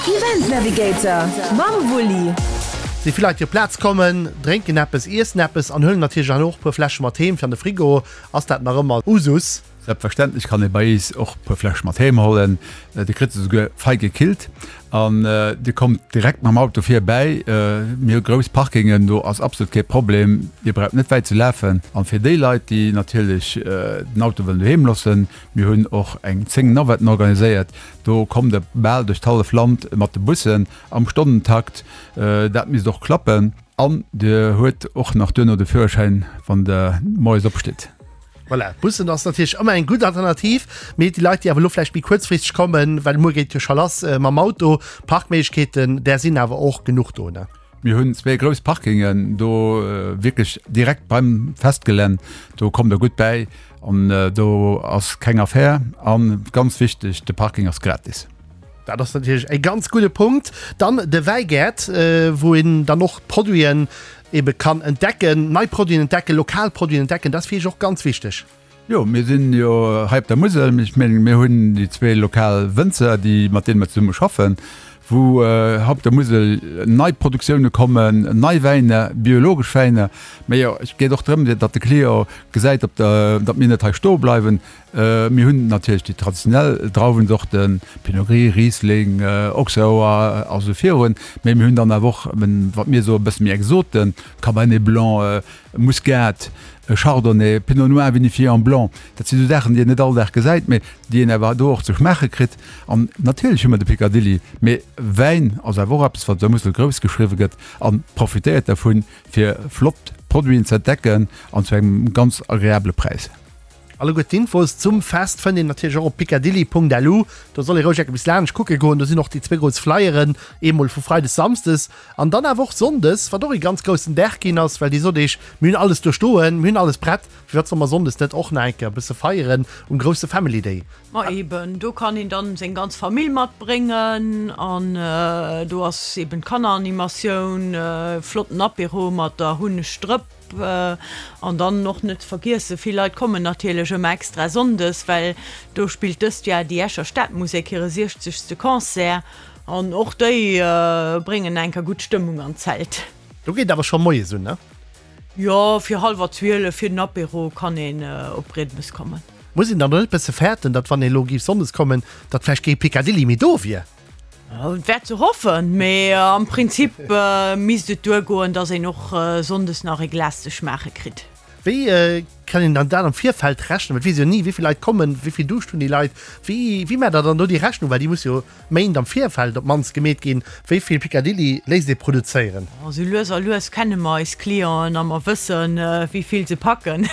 Event Navigator mam Wulli. Si vill Leit déi op d'Plaz kommen, drénken eppes, iessen eppes an huelen natierlech dann och e puer Fläsche mat heem fir an de Frigo. Ass dat nach ëmmer Usus? Selbstverständlech kann ee bei eis och e puer Fläsche mat heem hollen. Dir kritt se souguer fei gekillt an Dir kommt direkt mam Auto virbäi. Mir hu grouss Parkingen, do ass absolut kee Problem. Dir braucht net wäit ze lafen. An fir déi Leit, déi natierlech den Auto wëllen doheem loossen, mir hunn och eng 10 Navetten organiséiert. Do kommt Der bal duerch d'hallef Land mat de Bussen am Stonnentakt. Dat misst och klappen. An Dir huet och nach duerno de Führerschäin, wann Der moies opstitt. Voilà, d'Bussen ass natierlech ëmmer eng gutt Alternativ, mee déi Leit, déi awer elo vläicht méi kuerzfristeg kommen, well muer geet jo scho lass mam Auto, Parkméiglechkeeten, där sinn awer och genuch do, ne? Mir hunn zwee grouss Parkingen do, wierklech direkt beim Festgelänn. Do kommt Der gutt bäi an do ass keng Affär. A ganz wichteg, de Parking ass gratis. Dat ass natierlech e ganz gudde Punkt. Dann de Wäigäert, wou een dann och d'Produiten ebe kann entdecken, nei Produiten entdecken, lokal Produiten entdecken, dat ass fir iech och ganz wichteg. Jo, mir sinn jo hei op der Musel. Ech mengen, mir hunn déi zwee lokal Wënzer, déi, mat deene mer zesumme schaffen, wou hei op der Musel nei Produktioune kommen, nei Wäiner, biologesch Wäiner. Mä jo, et geet och drëm, datt de Client gesäit, op der, datt mir net hei stoe bleiwen. Mir hunn natierlech déi traditionell Drauwenzorten, Pinot Gris, Riesling, Auxerrois a sou virun, mä mir hunn dann awer och, wat mir soen, e bësse méi Exoten, Cabernet Blanc, Muscat, Chardonnay, Pinot Noir vinifié en blanc. Dat si sou Saachen, déi een net all Dag gesäit, mä déi een awer do och ze schmaache kritt. An natierlech hu mer de Picadilly, mä Wäin ass awer och eppes, wat op der Musel grouss geschriwwe gëtt a profitéiert dervun, fir flott Produiten ze entdecken an zu engem ganz agreabele Präis. Alleguer d'Infos zum Fest fënnt een natierlech och op picadilly.lu. Do soll ee roueg enke bis laanscht kucke goen. Do sinn och déi zwéi grouss Flyeren, eemol vu Freides, Samsdes an dann awer och Sonndes, wat och ee ganz groussen Dag ginn ass, well Dir sot Iech, mir hunn alles do stoen, mir hunn alles prett, firwat solle mer Sonndes net och nach eng Kéier e bësse feieren um grousse Family Day? Ma eben, do kann een dann seng ganz Famill matbréngen an do ass eben d'Kanneranimatioun, flotten Apéro mat der Hunnegdrëpp. An dann och net ze vergiessen, vill Leit kommen natierlech ëmmer extra sonndes, well do spillt dëst Jar déi Escher Stadmusek hire siechzegste Concert an och déi bréngen enker gutt Stëmmung an d'Zelt. Do geet awer scho moies un, ne? Jo, fir hallwer 12 fir den Apéro kann een op Briedemes kommen. Muss een dann net e bësse fäerten, datt wann ee lo géif sonndes kommen, datt vläicht kee Picadilly méi do wier? Et wär ze hoffen, mee am Prinzip misst et duergoen, dass een och sonndes nach e Glas ze schmaache kritt. Wéi kann een dann dat am Virfeld rechnen? Well et weess ee jo ni, wéi vill Leit kommen, wéi vill Duuscht hunn déi Leit. Wéi, wéi maacht Der dann do déi Rechnung? Well déi muss jo Méint am Virfeld op d'mannst gemeet ginn. Wéi vill Picadilly léisst ee produzéieren? Esou lues a lues kenne mer eis Clienten a mer wëssen, wéi vill se packen,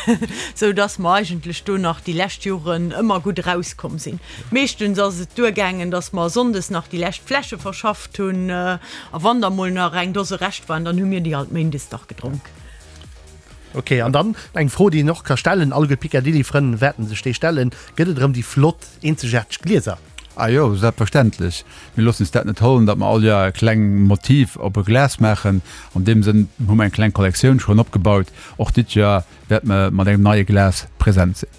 esou dass mer eigentlech do nach déi lescht Joren ëmmer gutt erauskomm sinn. Meeschtens ass et duergaangen, dass mer sonndes nach déi lescht Fläsche verschafft hunn, a wann da mol nach eng Dose Rescht waren, dann hu mir déi alt méindes dach gedronk. Ok, an dann eng Fro, déi een och ka stellen, alleguer d'Picadilly-Frënn wäerten sech déi stellen, Gëtt et erëm déi flott, eenzegaarteg Glieser? Ah jo, selbstverständlech. Mir loossen eis dat net hollen, datt mer all Joer e kleng Motiv op e Glas maachen. An deem Sënn hu mer eng kleng Kollektioun schonn opgebaut. Och dit Joer wäerte mer mat engem neie Glas present sinn.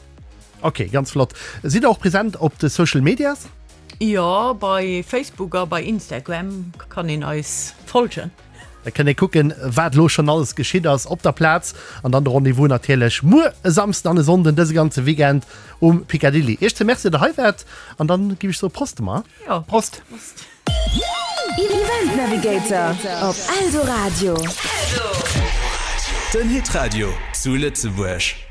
Ok, ganz flott. Sidd der och present op de Social Medias? Jo, bei Facebook a bei Instagram kann een eis folgen. Da kënnt ee kucken, wat elo schonn alles geschitt ass op der Plaz. An dann de Rendez-vous natierlech muer e Samsden an e Sonnden, dëse ganze Weekend um Picadilly. Iech ze Merci, datt der hei waart. An dann giff ech soe Prost emmer. Jo, Prost. Event Navigator op Eldoradio. Den Hitradio zu Lëtzebuerg.